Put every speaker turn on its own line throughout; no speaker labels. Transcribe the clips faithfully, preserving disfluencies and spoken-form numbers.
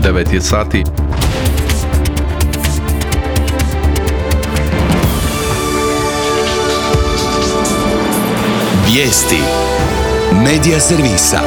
devet je sati.
Vijesti Medija servisa.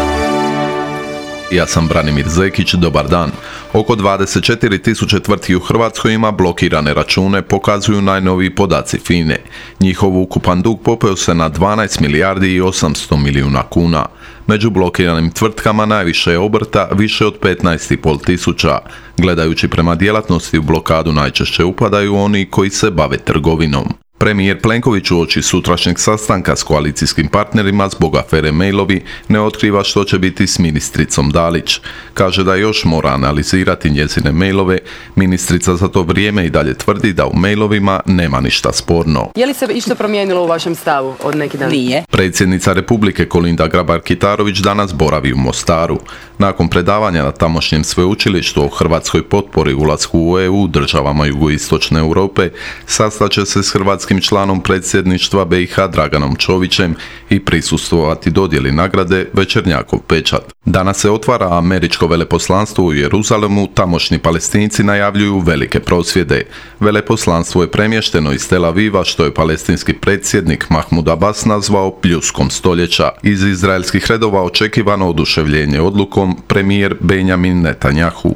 Ja sam Branimir Zekić, dobar dan. Oko dvadeset četiri tisuće tvrtki u Hrvatskoj ima blokirane račune, pokazuju najnoviji podaci F I N A E. Njihov ukupan dug popeo se na dvanaest milijardi i osamsto milijuna kuna. Među blokiranim tvrtkama najviše je obrta, više od petnaest i pol tisuća. Gledajući prema djelatnosti, u blokadu najčešće upadaju oni koji se bave trgovinom. Premijer Plenković uoči sutrašnjeg sastanka s koalicijskim partnerima zbog afere mailovi ne otkriva što će biti s ministricom Dalić. Kaže da još mora analizirati njezine mailove. Ministrica za to vrijeme i dalje tvrdi da u mailovima nema ništa sporno.
Je li se išta promijenilo u vašem stavu od neki dan?
Nije.
Predsjednica Republike Kolinda Grabar-Kitarović danas boravi u Mostaru. Nakon predavanja na tamošnjem sveučilištu o hrvatskoj potpori ulasku u E U državama jugoistočne Europe, sastaće se s hrvatskim članom predsjedništva B i H Draganom Čovićem i prisustvovati dodjeli nagrade Večernjakov pečat. Danas se otvara američko veleposlanstvo u Jeruzalemu, tamošnji Palestinci najavljuju velike prosvjede. Veleposlanstvo je premješteno iz Tel Aviva, što je palestinski predsjednik Mahmud Abbas nazvao pljuskom stoljeća. Iz izraelskih redova očekivano oduševljenje odlukom premijer Benjamin Netanjahu.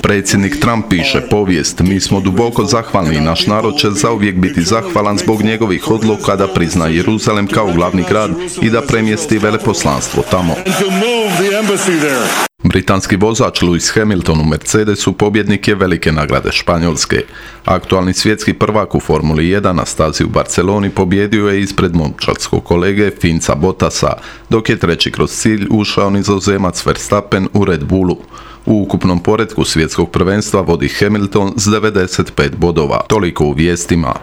Predsjednik Trump piše povijest, mi smo duboko zahvalni i naš narod će zauvijek biti zahvalan zbog njegovih odluka da prizna Jeruzalem kao glavni grad i da premjesti veleposlanstvo tamo. Britanski vozač Lewis Hamilton u Mercedesu pobjednik je velike nagrade Španjolske. Aktualni svjetski prvak u Formuli jedan na stazi u Barceloni pobjedio je ispred momčadskog kolege Finca Bottasa, dok je treći kroz cilj ušao Nizozemac Verstappen u Red Bullu. U ukupnom poretku svjetskog prvenstva vodi Hamilton s devedeset pet bodova. Toliko u vijestima.